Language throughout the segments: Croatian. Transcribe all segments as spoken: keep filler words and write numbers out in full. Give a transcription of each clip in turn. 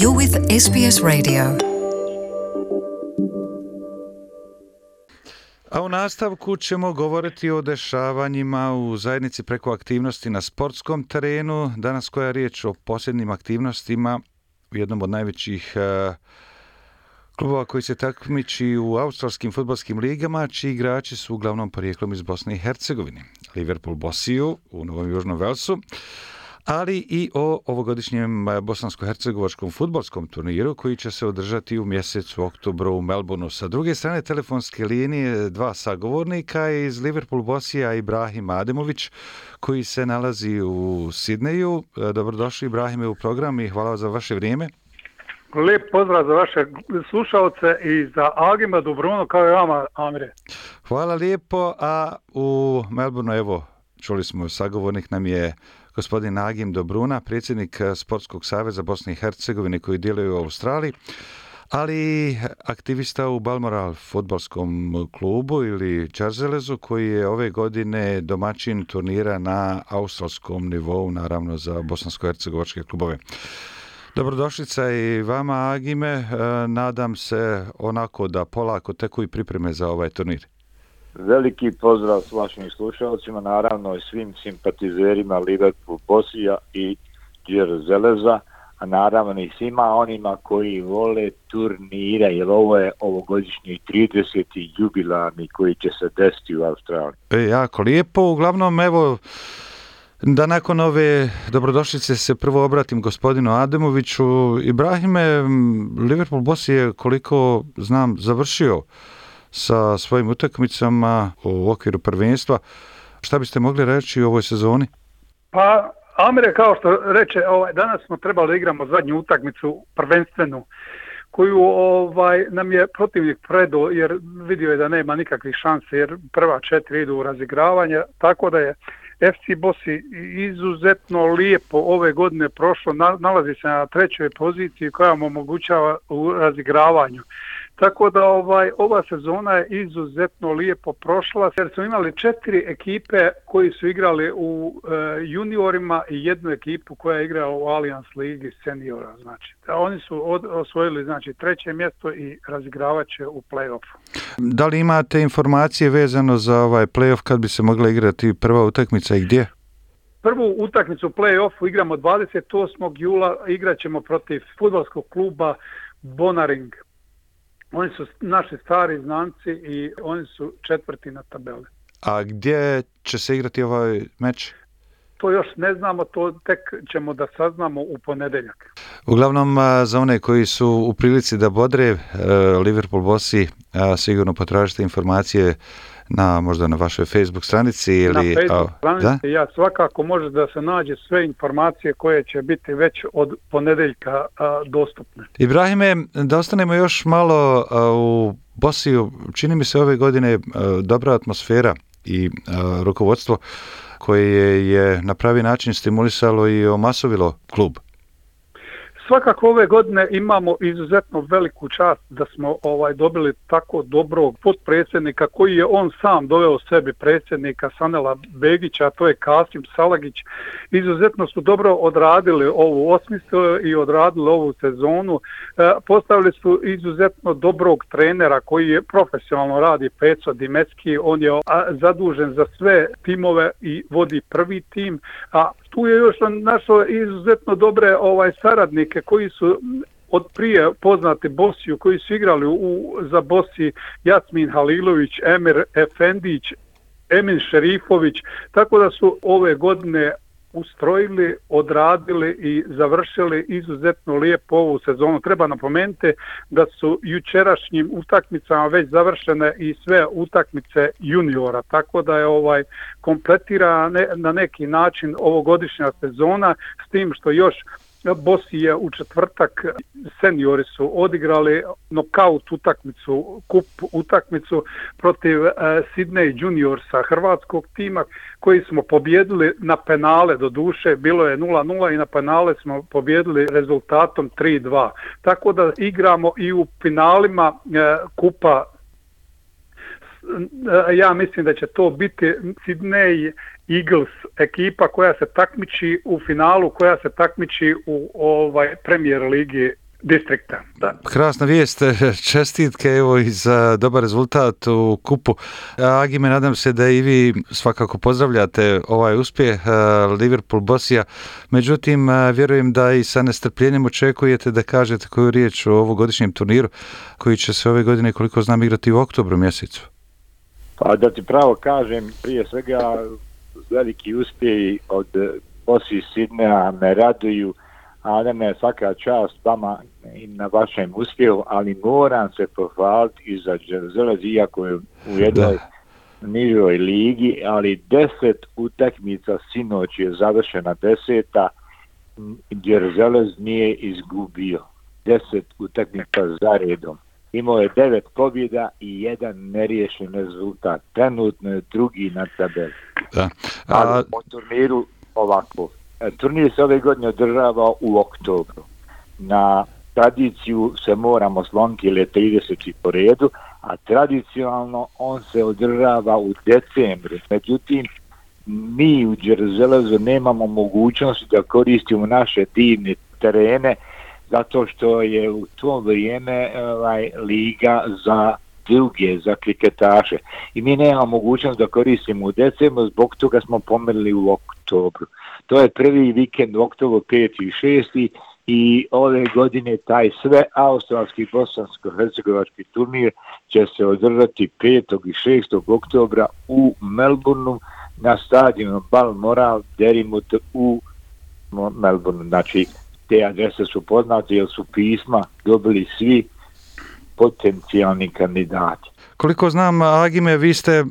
You're with S B S Radio. A u nastavku ćemo govoriti o dešavanjima u zajednici preko aktivnosti na sportskom terenu. Danas koja je riječ o posljednjim aktivnostima u jednom od najvećih uh, klubova koji se takmiči u australskim fudbalskim ligama, čiji igrači su uglavnom porijeklom iz Bosne i Hercegovine. Liverpool Bosiju u Novom Južnom Velsu, ali i o ovogodišnjem bosansko-hercegovačkom fudbalskom turniru koji će se održati u mjesecu oktobru u Melbourneu. Sa druge strane telefonske linije dva sagovornika iz Liverpool Bosija, Ibrahim Ademović, koji se nalazi u Sidneju. Dobrodošli, Ibrahime, u program i hvala za vaše vrijeme. Lijep pozdrav za vaše slušalce i za Agima Dobruno kao i vama, Amire. Hvala lijepo, a u Melbourneu, evo, čuli smo, sagovornik nam je gospodin Agim Dobruna, predsjednik Sportskog saveza Bosne i Hercegovine koji djeluje u Australiji, ali aktivista u Balmoral fudbalskom klubu ili Čarzelezu, koji je ove godine domaćin turnira na australskom nivou, naravno za bosansko-hercegovačke klubove. Dobrodošlica i vama, Agime. Nadam se onako da polako teku i pripreme za ovaj turnir. Veliki pozdrav s vašim slušalcima, naravno i svim simpatizerima Liverpool Bosija i Čarzeleza, a naravno i svima onima koji vole turnire, jer ovo je ovogodišnji trideseti jubilarni koji će se desiti u Australiji. E, jako lijepo. Uglavnom, evo, da nakon ove dobrodošlice se prvo obratim gospodinu Ademoviću. Ibrahime, Liverpool Bosi je, koliko znam, završio sa svojim utakmicama u okviru prvenstva. Šta biste mogli reći o ovoj sezoni? Pa, Amire, kao što reče, ovaj, danas smo trebali igramo zadnju utakmicu prvenstvenu, koju ovaj, nam je protivnik predao, jer vidio je da nema nikakvih šanse, jer prva četiri idu u razigravanje, tako da je F C Bosi izuzetno lijepo ove godine prošlo, nalazi se na trećoj poziciji koja mu omogućava u razigravanju. Tako da ovaj ova sezona je izuzetno lijepo prošla, jer smo imali četiri ekipe koji su igrali u e, juniorima i jednu ekipu koja je igrala u Allianz Ligi seniora. Znači, da oni su od, osvojili znači treće mjesto i razigravat će u play-offu. Da li imate informacije vezano za ovaj play-off kad bi se mogla igrati prva utakmica i gdje? Prvu utakmicu u play-offu igramo dvadeset osmog jula, igrat ćemo protiv fudbalskog kluba Bonaring. Oni su naši stari znanci i oni su četvrti na tabeli. A gdje će se igrati ovaj meč? To još ne znamo, to tek ćemo da saznamo u ponedjeljak. Uglavnom, za one koji su u prilici da bodre Liverpool Bosi, sigurno potražite informacije na možda na vašoj Facebook stranici ili na Facebook a, stranici. Da? Ja svakako može da se nađe sve informacije koje će biti već od ponedjeljka a, dostupne. Ibrahime, da ostanemo još malo a, u Bosiju. Čini mi se ove godine a, dobra atmosfera i a, rukovodstvo koje je na pravi način stimulisalo i omasovilo klub. Svakako ove godine imamo izuzetno veliku čast da smo ovaj dobili tako dobrog potpredsjednika koji je on sam doveo sebi, predsjednika Sanela Begića, a to je Kasim Salagić. Izuzetno su dobro odradili ovu osmislili i odradili ovu sezonu. E, postavili su izuzetno dobrog trenera koji je profesionalno radi, Peco Dimecki, on je a, zadužen za sve timove i vodi prvi tim, a tu je još našao izuzetno dobre ovaj saradnike koji su od prije poznati Bosiju, koji su igrali u, za Bosi, Jasmin Halilović, Emir Efendić, Emin Šerifović, tako da su ove godine ustrojili, odradili i završili izuzetno lijepo ovu sezonu. Treba napomenuti da su jučerašnjim utakmicama već završene i sve utakmice juniora, tako da je ovaj kompletira ne, na neki način ovogodišnja sezona, s tim što još Bosi je u četvrtak, seniori su odigrali nokaut utakmicu, kup utakmicu protiv eh, Sydney Juniorsa hrvatskog tima koji smo pobjedili na penale, do duše bilo je nula nula i na penale smo pobjedili rezultatom tri dva. Tako da igramo i u finalima eh, kupa. Ja mislim da će to biti Sydney Eagles ekipa koja se takmiči u finalu, koja se takmiči u ovaj Premier ligi distrikta. Da. Krasna vijest, čestitke evo i za dobar rezultat u kupu. Agime, nadam se da i vi svakako pozdravljate ovaj uspjeh Liverpool Bosija. Međutim, vjerujem da i sa nestrpljenjem očekujete da kažete koju riječ o ovogodišnjem turniru koji će se ove godine, koliko znam, igrati u oktobru mjesecu. Pa da ti pravo kažem, prije svega veliki uspjehi od Bosije Sidneja me raduju, a da me svaka čast vama i na vašem uspjehu, ali moram se pohvaliti i za Đerzelez, iako je u jednoj nižoj ligi, ali deset utakmica sinoć je završena deseta, Đerzelez nije izgubio deset utakmica za redom. Imao je devet pobjeda i jedan neriješen rezultat. Trenutno je drugi na tabeli. Da. A... Ali po turniru ovako. Turnir se ove godine održava u oktobru. Na tradiciju se moramo sloniti jer je trideseti po redu, a tradicionalno on se održava u decembru. Međutim, mi u Đerzelezu nemamo mogućnosti da koristimo naše divne terene zato što je u to vrijeme ovaj, liga za druge, za kriketaše. I mi nemamo mogućnost da koristimo u decembru, zbog toga smo pomerili u oktobru. To je prvi vikend u oktobru, peti i šesti i ove godine taj sve australski bosansko-hercegovački turnir će se održati petog i šestog oktobra u Melbourneu na stadionu Balmoral Derrimut u Melbourneu. Znači, te adrese su poznate jer su pisma dobili svi potencijalni kandidati. Koliko znam, Agime, vi ste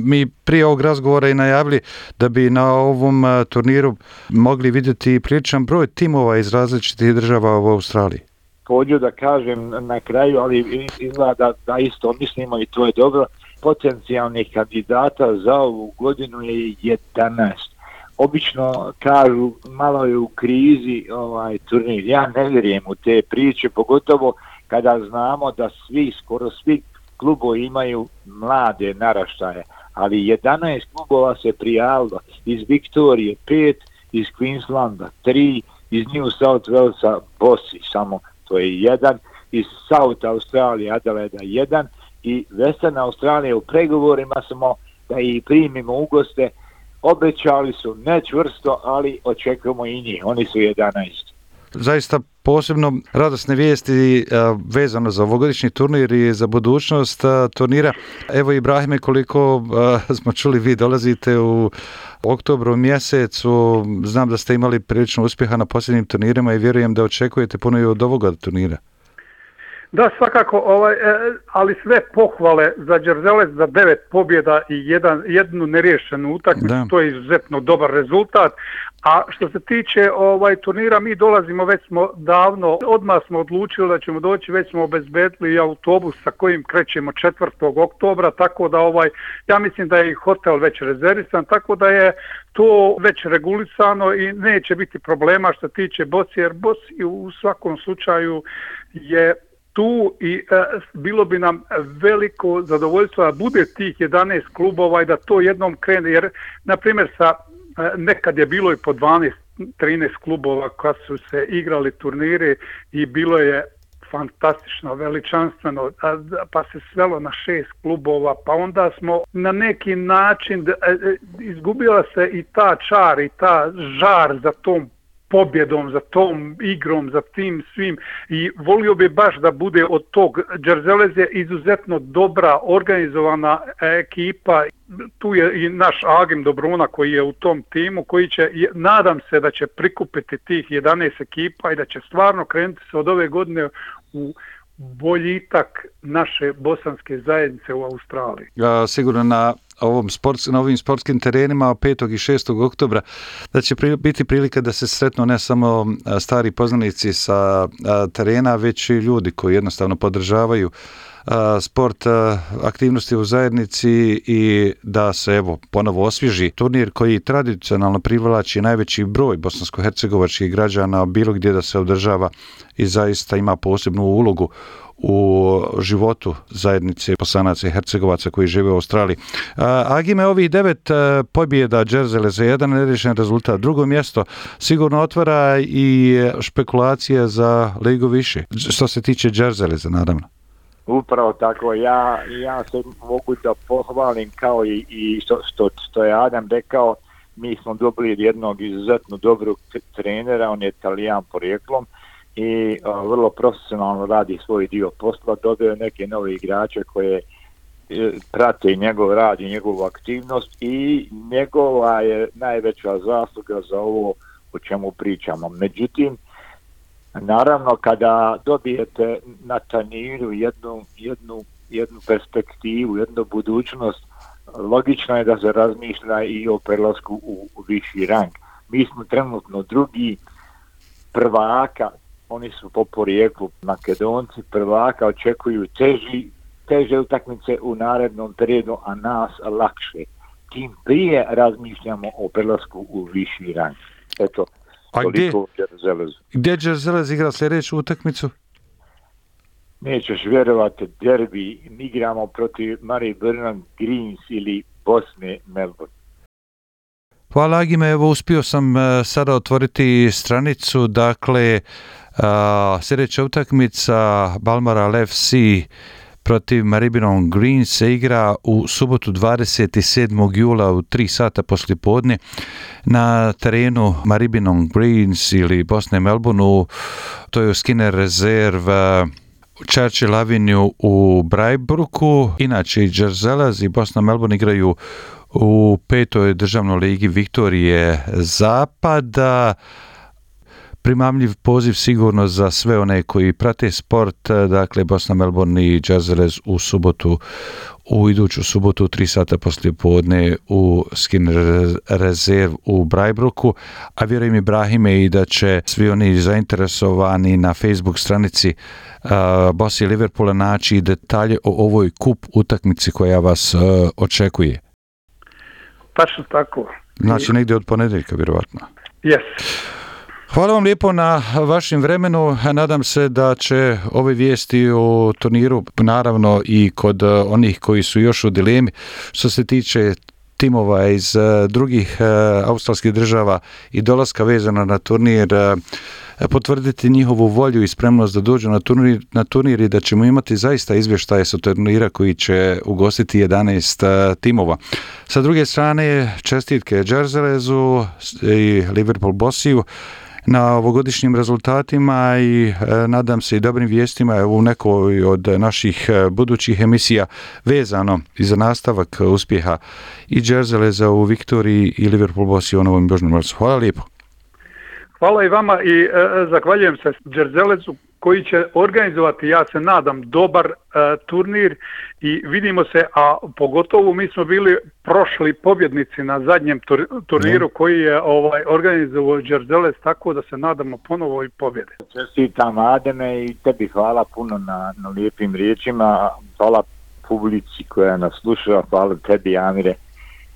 mi prije ovog razgovora i najavili da bi na ovom turniru mogli vidjeti priličan broj timova iz različitih država u Australiji. Pođu da kažem na kraju, ali izgleda da, da isto mislimo i to je dobro, potencijalnih kandidata za ovu godinu je jedanaest. Obično kažu malo je u krizi ovaj turnir. Ja ne vjerujem u te priče, pogotovo kada znamo da svi, skoro svi klubovi imaju mlade naraštaje, ali jedanaest klubova se prijavilo, iz Viktorije pet, iz Queenslanda tri, iz New South Walesa Bosi samo, to je jedan, iz South Australije Adelaida jedan i Western Australije u pregovorima smo da ih primimo u goste, obećali su ne čvrsto, ali očekujemo i njih, oni su jedanaest. Zaista posebno radosne vijesti a, vezano za ovogodišnji turnir i za budućnost a, turnira. Evo Ibrahime, koliko a, smo čuli, vi dolazite u oktobru mjesecu, znam da ste imali prilično uspjeha na posljednjim turnirima i vjerujem da očekujete puno i od ovoga turnira. Da, svakako, ovaj, ali sve pohvale za Đerzelez za devet pobjeda i jedan, jednu neriješenu utakmicu, to je izuzetno dobar rezultat. A što se tiče ovaj turnira, mi dolazimo, već smo davno, odmah smo odlučili da ćemo doći, već smo obezbedili autobus sa kojim krećemo četvrtog oktobra, tako da ovaj, ja mislim da je i hotel već rezervisan, tako da je to već regulisano i neće biti problema što se tiče Bosije, jer Bosija u svakom slučaju je tu i e, bilo bi nam veliko zadovoljstvo da bude tih jedanaest klubova i da to jednom krene, jer na primjer sa e, nekad je bilo i po dvanaest trinaest klubova kad su se igrali turniri i bilo je fantastično, veličanstveno, pa se svelo na šest klubova, pa onda smo na neki način izgubila se i ta čar i ta žar za tom pobjedom, za tom igrom, za tim svim i volio bi baš da bude od tog. Đerzelez je izuzetno dobra, organizovana ekipa, tu je i naš Agim Dobruna koji je u tom timu, koji će, nadam se da će prikupiti tih jedanaest ekipa i da će stvarno krenuti se od ove godine u boljitak naše bosanske zajednice u Australiji. Ja, sigurno na ovom sports, na ovim sportskim terenima petog i šestog oktobra da će pri, biti prilika da se sretnu ne samo stari poznanici sa terena, već i ljudi koji jednostavno podržavaju sport, aktivnosti u zajednici i da se evo ponovo osvježi turnir koji tradicionalno privlači najveći broj bosansko-hercegovačkih građana bilo gdje da se održava i zaista ima posebnu ulogu u životu zajednice Bosanaca i Hercegovaca koji žive u Australiji. Agime, ovih devet pobjeda Džerzele za jedan neriješen rezultat, drugo mjesto sigurno otvara i špekulacije za ligu više, što se tiče Džerzele za naravno. Upravo tako, ja, ja se mogu da pohvalim kao i, i što, što, što je Adam rekao, mi smo dobili jednog izuzetno dobrog trenera, on je Italijan porijeklom i a, vrlo profesionalno radi svoj dio posla, dobio je neke nove igrače koje e, prate njegov rad i njegovu aktivnost i njegova je najveća zasluga za ovo o čemu pričamo. Međutim, naravno kada dobijete na turniru jednu, jednu, jednu perspektivu, jednu budućnost, logično je da se razmišlja i o prelasku u, u viši rang. Mi smo trenutno drugi prvaka, oni su po porijeklu Makedonci, prvaka očekuju teži, teže utakmice u narednom periodu, a nas lakše. Tim prije razmišljamo o prelasku u viši rang. Eto, a toliko gdje, Džerzelezu. Gdje Džerzelez igra sljedeću utakmicu? Nećeš vjerovati, derbi, mi igramo protiv Maribyrnong Greens ili Bosne Melbourne. Hvala Agime, evo uspio sam uh, sada otvoriti stranicu, dakle uh, sljedeća utakmica Balmoral F C protiv Maribyrnong Greens se igra u subotu dvadeset sedmog jula u tri sata poslijepodne na terenu Maribyrnong Greens ili Bosne Melbourneu, to je u Skinner Reserve uh, Churchill Avenue u Brajbruku. Inače i Džerzelez i Bosna Melbourne igraju u petoj državnoj ligi Viktorije Zapada. Primamljiv poziv sigurno za sve one koji prate sport, dakle Bosna Melbourne i Džerzelez u subotu, u iduću subotu u tri sata poslije podne u Skinner Reserve u Brajbruku, a vjerujem Ibrahime i da će svi oni zainteresovani na Facebook stranici uh, Bosi Liverpoola naći detalje o ovoj kup utakmici koja vas uh, očekuje. Tačno tako. Znači negdje od ponedjeljka vjerovatno. Yes. Hvala vam lijepo na vašem vremenu. Nadam se da će ove vijesti o turniru, naravno i kod onih koji su još u dilemi, što se tiče timova iz drugih australskih država i dolaska vezana na turnir, potvrditi njihovu volju i spremnost da dođu na turnir, na turnir i da ćemo imati zaista izvještaje sa turnira koji će ugostiti jedanaest timova. Sa druge strane, čestitke Džerzelezu i Liverpool Bossiju na ovogodišnjim rezultatima i e, nadam se i dobrim vijestima u nekoj od naših budućih emisija vezano i za nastavak uspjeha i Džerzeleza u Viktoriji i Liverpool Bossiju u Novom Južnom Walesu. Hvala lijepo. Hvala i vama i e, zahvaljujem se Džerzelezu koji će organizovati, ja se nadam, dobar e, turnir i vidimo se, a pogotovo mi smo bili prošli pobjednici na zadnjem tur, turniru koji je ovaj organizovao Džerzelez, tako da se nadamo ponovo i pobjede. Čestitam Ademe i tebi hvala puno na, na lijepim riječima, hvala publici koja nas sluša, hvala tebi Amire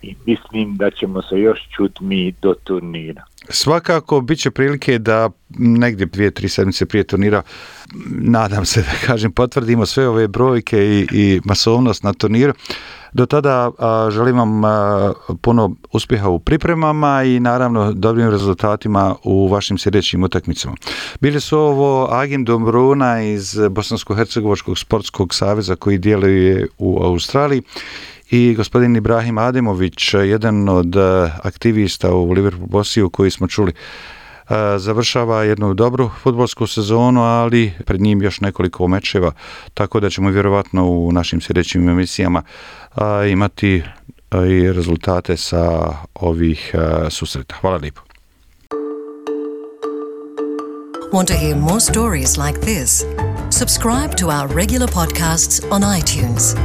i mislim da ćemo se još čuti mi do turnira. Svakako bit će prilike da negdje dvije, tri sedmice prije turnira, nadam se da kažem, potvrdimo sve ove brojke i, i masovnost na turniru. Do tada a, želim vam a, puno uspjeha u pripremama i naravno dobrim rezultatima u vašim sljedećim utakmicama. Bili su ovo Agim Dombruna iz Bosansko-hercegovačkog sportskog saveza koji djeluje u Australiji i gospodin Ibrahim Ademović, jedan od aktivista u Liverpool Bossiju koji smo čuli, završava jednu dobru fudbalsku sezonu, ali pred njim još nekoliko mečeva, tako da ćemo vjerovatno u našim sljedećim emisijama imati i rezultate sa ovih susreta. Hvala lijepo. Want to hear more stories like this? Subscribe to our regular podcasts on iTunes.